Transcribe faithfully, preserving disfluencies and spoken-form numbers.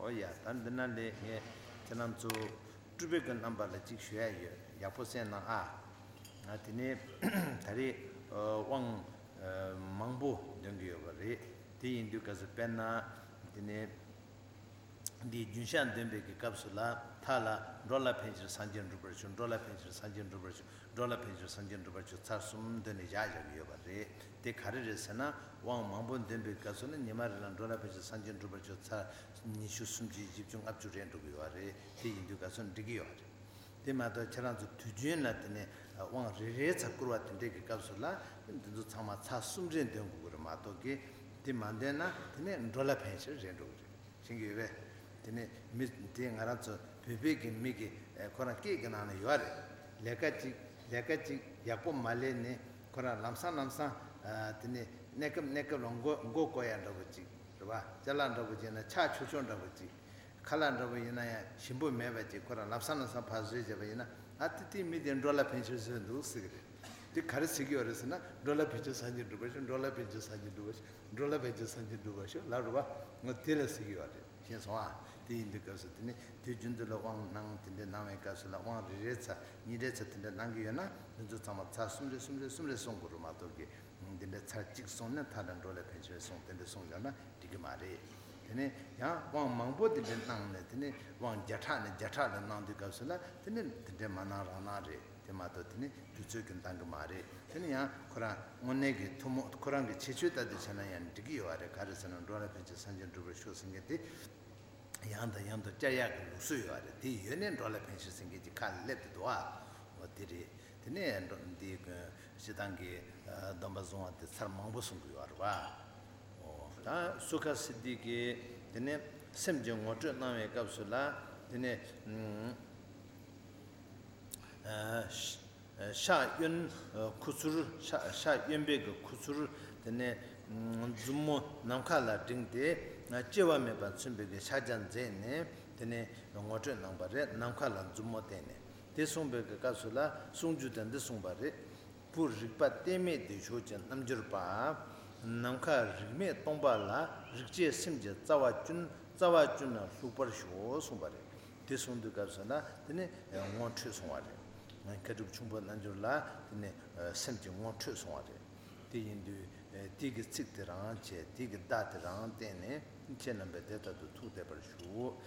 ཨོ་ཡ། ད་འདི་ན་ལས་ངས་ཁྱེད་རང་ཚོ་སྤྲུལ་པའི་གི་རྣམ་པ་ལ་གཅིག་ཞུ་ཡ་ཡོད། ཡག་པོ་གསན་གནང་ཨ། ང་དེ་ནས་ད་རེས་དབང་མང་པོ་འདོན་གི་ཡོད་པ་རེད། དེ་ཡིན་དུས་སྐབས་སུ་དཔེར་ན་དེ་ནས་འདིའི་རྒྱུན་བཤད་འདོན་པའི་གི་སྐབས་སུ་ལ་མཐའ་ལ་འགྲོ་ལ་ཕན་ཕྱིར་སངས་རྒྱས་འགྲུབ་པར་ཤོག་འགྲོ་ལ་ཕན་ཕྱིར་སངས་རྒྱས་འགྲུབ་པར་ཤོག་འགྲོ་ལ་ཕན་ཕྱིར་སངས་རྒྱས་འགྲུབ་པར་ཤོག་ཚར་གསུམ་འདོན་ནས་བཞག་བཞག་གི་ཡོད་པ་རེད། དེ་ག་རེ་རེད་ཟེར་ན། དབང་མང་པོ་འདོན་པའི་སྐབས་སུ་ནི་ཉི་མ་རེ་ལ་འགྲོ་ལ་ཕན་ཕྱིར་སངས་རྒྱས་འགྲུབ་པར་ཤོག་ཚར་ཉི་ཤུ་སུམ་ཅུ་བཞི་བཅུ་ལྔ་བཅུ་རེ་འགྲོ་གི་ཡོད་རེད། དེ་ཡིན་དུས་སྐབས་སུ་འགྲིག་གི་ཡོད་རེད། དེ་མ་གཏོགས་ཁྱེད་རང་ཚོ་དུས་རྒྱུན་ལ་དེ་ནས་དབང་རེ་རེ་ཚར་བསྐུར་བ་དེ་འདྲས་ཀྱི་སྐབས་སུ་ལ་འདི་ཚོ་ཚང་མ་ཚར་གསུམ་རེ་འདོན་དགོས་ཀྱི་རེད་མ་གཏོགས་ཀྱི། དེ་མ་འདོན་ན་དེ་ནས་འགྲོ་ལ་ཕན་ཕྱིར་རེ་འགྲོ་གི་རེད། ཤེས་ཀྱི་ཡོད་པས། དེ་ནས་མི་དེ་ང་རང་ཚོ་བོད་པའི་གི་མི་གི་ཨེ་ཁོ་རང་སྐད་ཀྱི་ནང་ན་ཡོད་རེད། ལས་ཀ་ཅིག་ལས་ཀ་ཅིག་ཡག་པོ་མ་ལས་ནས་ཁོ་རང་ལམ་སང་ལམ་སང་ཨ་དེ་ནས་གནས་སྐབས་གནས་སྐབས་ལ་མགོ་མགོ་བསྐོར་ཡ་འདྲ་པོ་ཅིག་རེད་པ། ཅ་ལག་འདྲ་པོ་ཅིག་ན་ཆག་ཆོག་ཆོག་འདྲ་པོ་ཅིག་ཁ་ལག་འདྲ་པོ་ཡིན་ན་ཡང་ཞིམ་པོ་མེད་པ་ཅིག་ཁོ་རང་ལམ་སང་ལམ་སང་ཕར་བཟོས་བྱས་པ་ཡིན་ན། ཨ་ཏི་ཏི་མི་དེ་འགྲོ་ལ་ཕན་ཕྱིར་བཟོས་འདུག་ཟེར་གི་རེད། དེ་ག་རེ་ཟེར་གི་ཡོད་རེད་ཟེར་ན། འགྲོ་ལ་ཕན་ཕྱིར་སངས་རྒྱས་འགྲུབ་པར་ཤོག་འགྲོ་ལ་ཕན་ཕྱིར་སངས་རྒྱས་འགྲུབ་པར་ཤོག་འགྲོ་ལ་ཕན་ཕྱིར་སངས་རྒྱས་འགྲུབ་པར་ཤོག་ལབ་རེད་པ། ང་དེ་ལ་ཟེར་གི་ཡོད་རེད། ཤེས་སོང་ཨ། དེ་ཡིན་དུས་སྐབས་སུ་དེ་ནི་དུས་རྒྱུན་དུ་ལ་དབང་གནང་དེ་འདྲའི་གནང་བའི་སྐབས་སུ་ལ་དབང་རེ་རེ་ཚར་གཉིས་རེ་ཚར་དེ་འདྲ་གནང་གི་ཡོད་ན། དེ་ཚོ་ཚང་མ་ཚར་གསུམ་རེ་གསུམ་རེ་གསུམ་རེ་གསུང་དགོས་རེད་མ་གཏོགས་ཀྱི། འདི་འདྲ་ཚར་གཅིག་སོང་ནས་མཐའ་དང་འགྲོ་ལ་ཕན་ཕྱིར་སོང་དེ་འདྲ་སོང་ཡོད་ན་འགྲིག་གི་མ་རེད། དེ་ནས་ཡང་དབང་མང་པོ་དེ་འདྲ་གནང་ནས་དེ་ནས་དབང་བརྒྱ་ཕྲག་ནས་བརྒྱ་ཕྲག་ལ་གནང་དུས་སྐབས་སུ་ལ་དེ་ནས་དེ་འདྲ་མ་གནང་རང་གནང་རེད། དེ་མ་གཏོགས་དེ་ནས་དུས་ཚོད་ཀྱིས་འདང་གི་མ་རེད། དེ་ནས་ཡང་ཁོ་རང་དངོས་གནས་ཀྱི་ཐུན་མོང་ཁོ་རང་གི་ཁྱད་ཆོས་ལྟར་དུ་བྱས་ན་ཡང་འགྲིག་གི་ཡོད་རེད། ག་རེ་ཟེར་ན་འགྲོ་ལ་ཕན་ཕྱིར་སངས་རྒྱས་འགྲུབ་པར་ཤོག་ཟེར་མཁན་དེ། ཡང་དང་ཡང་དུ་བསྐྱར་ཡག་གི་ལུགས་སྲོལ་ཡོད་རེད། དེ་ཡོད་ནས་འགྲོ་ལ་ཕན་ཕྱིར་ཟེར་མཁན་གྱི་ཁ་ལ་སླེབས་ཏེ་འདུག་ཨ། འོ་དེ་རེད། དེ་ནས་འགྲོ་འདི་སྤྱི་བཏང་གི་སྡོམ་པ་བཟུང་བ་དེ་ཚར་མང་པོ་གསུང་གི་ཡོད་རེད་པ། འོ་ད་སུ་ཁ་སིདྡྷི་གིས་དེ་ནས་སེམས་ཀྱི་ངོ་སྤྲོད་གནང་བའི་སྐབས་སུ་ལ་དེ་ནས། ཨ་ཤ་གཡོན་ཁུ་ཚུར། ཤ་ཤ་གཡོན་པའི་གི་ཁུ་ཚུར། དེ་ནས་མཛུབ་མོ་ནམ་མཁའ་ལ་བསྒྲེངས་ཏེ། སྐྱེ་བ་མེད་པ་མཚོན་པའི་གི་ཕྱག་རྒྱ་མཛད་ནས་དེ་ནས་ངོ་སྤྲོད་གནང་བ་རེད། ནམ་མཁའ་ལ་མཛུབ་མོ་བསྟན་ནས། དེ་གསུངས་པའི་གི་སྐབས་སུ་ལ་གསུང་རྒྱུ་དེ་འདི་གསུངས་པ་རེད། བུ་རིག་པ་གཏད་མེད་བདེ་མཆོག་གི་རྣལ་འབྱོར་པ། ནམ་མཁའ་རིག་མེད་སྟོང་པ་ལ། རིག་བྱེད་སེམས་ཀྱི་རྩ་བ་ཀུན། རྩ་བ་ཀུན་ལ་ལྷུག་པར་ཞོག་གསུངས་པ་རེད། དེ་གསུང་དུས་སྐབས་སུ་ན་དེ་ནི་ངོ་འཕྲོད་སོང་བ་རེད། མཁས་གྲུབ་ཁྱུང་པོ་རྣལ་འབྱོར་ལ་དེ་ནི་སེམས་ཀྱི་ངོ་འཕྲོད་སོང་བ་རེད། དེ་ཡིན་དུས་དེ་གི་ཚིག་དེ་རང་བྱས། དེ་གི་བརྡ་དེ་རང་བསྟན་ནས་ཁྱེད་རྣམ་པས་དེ་ལྟར་དུ་ཐུགས་བདེ་བར་ཞུ།